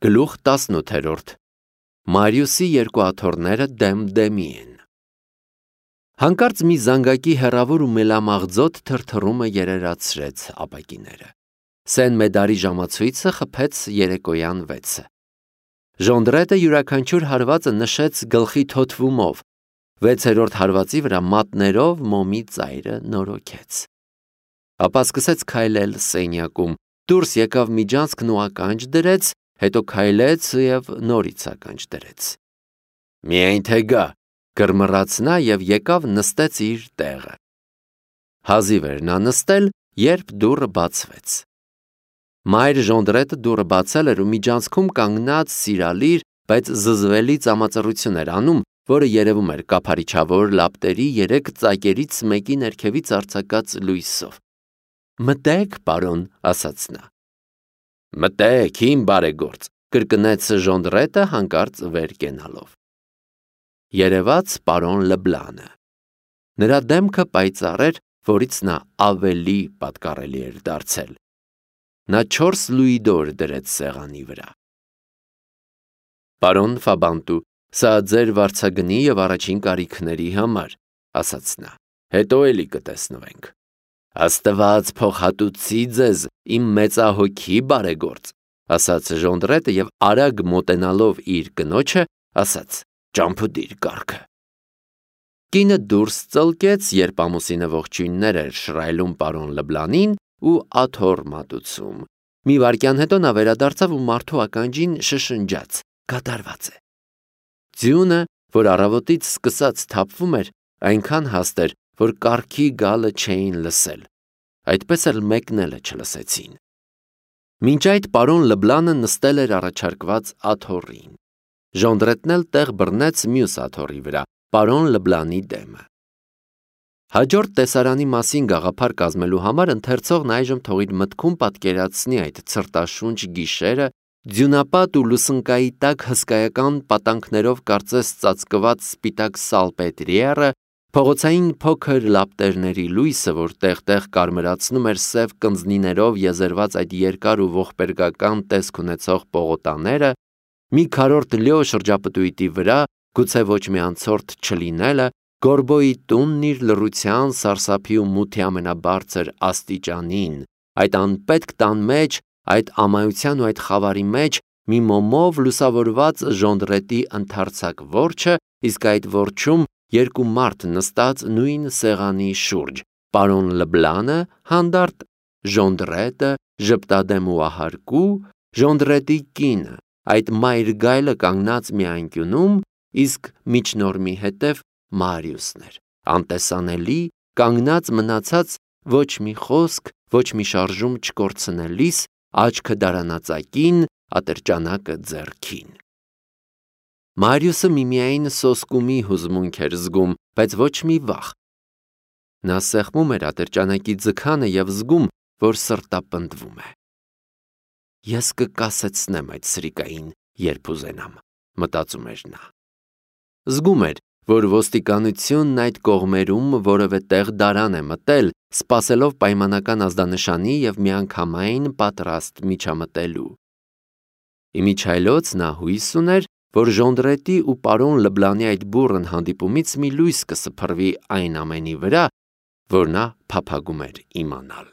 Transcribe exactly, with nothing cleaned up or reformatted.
Գլուխ տասնութ Մարիուսի երկու աթոռները դեմ դեմի են։ Հանկարծ մի զանգակի հեռավոր ու մելամաղձոտ թրթռումը երերացրեց ապակիները։ Սեն մեդարի ժամացույցը խփեց երեկոյան վեցը։ Ժոնդրետը յուրաքանչյուր հարվածը նշեց գլխի թոթվումով, վեցերորդ հարվածի վրա մատներով մոմի ծայրը նորոգեց։ Ապա սկսեց քայլել սենյակում, դուրս եկավ միջանցքն ու ականջ դրեց, հետո քայլեց և նորից ականջ դրեց։ Միայն թե գա, կռմռաց նա և եկավ նստեց իր տեղը։ Հազիվ էր նա նստել, երբ դուռը բացվեց։ Մայր Ժոնդրետը դուռը բացել էր ու միջանցքում կանգնած սիրալիր, բայց զզվելի ծամածռություն էր անում, որը երևում էր կափարիչավոր լապտերի երեք ծակերից մեկի ներքևից արձակած լույսով։ Մտե՛ք, պարոն, ասաց նա։ Մտե՛ք, իմ բարեգործ, կրկնեց Ժոնդրետը հանկարծ վեր կենալով։ Երևաց պարոն Լբլանը։ Նրա դեմքը պայծառ էր, որից նա ավելի պատկառելի էր դարձել։ Նա չորս լուիդոր դրեց սեղանի վրա։ Պարոն Ֆաբանտու, սա ձեր վարձագնի և առաջին կարիքների համար, ասաց նա, հետո էլի կտեսնվենք։ Աստված փոխհատուցի ձեզ, իմ մեծահոգի բարեգործ, ասաց Ժոնդրետը և արագ մոտենալով իր կնոջը, ասաց. ճամփուդիր կառքը։ Կինը դուրս ծլկեց, երբ ամուսինը ողջույններ էր շռայլում պարոն Լբլանին ու աթոռ մատուցում։ Մի վայրկյան հետո նա վերադարձավ ու մարդու ականջին շշնջաց. կատարված է։ Ձյունը, որ առավոտից սկսած թափվում էր, այնքան հաստ էր, որ կառքի գալը չէին լսել, այդպես էլ մեկն էլ չլսեցին։ Մինչ այդ պարոն Լբլանը նստել էր առաջարկված աթոռին։ Ժոնդրետն էլ տեղ բռնեց մյուս աթոռի վրա, պարոն Լբլանի դեմը։ Հաջորդ տեսարանի մասին գաղափար կազմելու համար ընթերցողն այժմ թող իր մտքում պատկերացնի այդ ցրտաշունչ գիշերը, ձյունապատ ու լուսնկայի տակ հսկայական պատանքներով կարծես ծածկված սպիտակ սալպետրիերը, փողոցային փոքր լապտերների լույսը, որ տեղ-տեղ կարմրացնում էր սև կնձնիներով եզերված այդ երկար ու ողբերգական տեսք ունեցող պողոտաները, մի քառորդ լյո շրջապտույտի վրա, գուցե ոչ մի անցորդ չլինելը, Գորբոյի տունն իր լռության, սարսափի ու մութի ամենաբարձր աստիճանին, այդ անպետք տան մեջ, այդ ամայության ու այդ խավարի մեջ, մի մոմով լուսավորված Ժոնդրետի ընդարձակ որջը, իսկ այդ որջում երկու մարդ նստած նույն սեղանի շուրջ, պարոն Լբլանը հանդարտ, Ժոնդրետը ժպտադեմ ու ահարկու, Ժոնդրետի կինը, այդ մայր գայլը կանգնած մի անկյունում, իսկ միջնորմի հետև Մարիուսն էր, անտեսանելի, կանգնած մնացած ոչ մի խոսք, ոչ մի շարժում չկորցնելիս, աչքը դարանածակին, ատրճանակը ձեռքին։ Մարիուսը միմիայն սոսկումի հուզմունք էր զգում, բայց ոչ մի վախ։ Նա սեղմում էր ատրճանակի ձգանը և զգում, որ սրտապնդվում է։ Ես կկասեցնեմ այդ սրիկային, երբ ուզենամ, մտածում էր նա։ Զգում էր, որ ոստիկանությունն այդ կողմերում որևէ տեղ դարան է մտել, սպասելով պայմանական ազդանշանի և միանգամայն պատրաստ միջամտելու։ Իմիջայլոց նա հույս ուներ, որ Ժոնդրետի ու պարոն Լբլանի այդ բուռն հանդիպումից մի լույս կսփռվի այն ամենի վրա, որ նա փափագում էր իմանալ։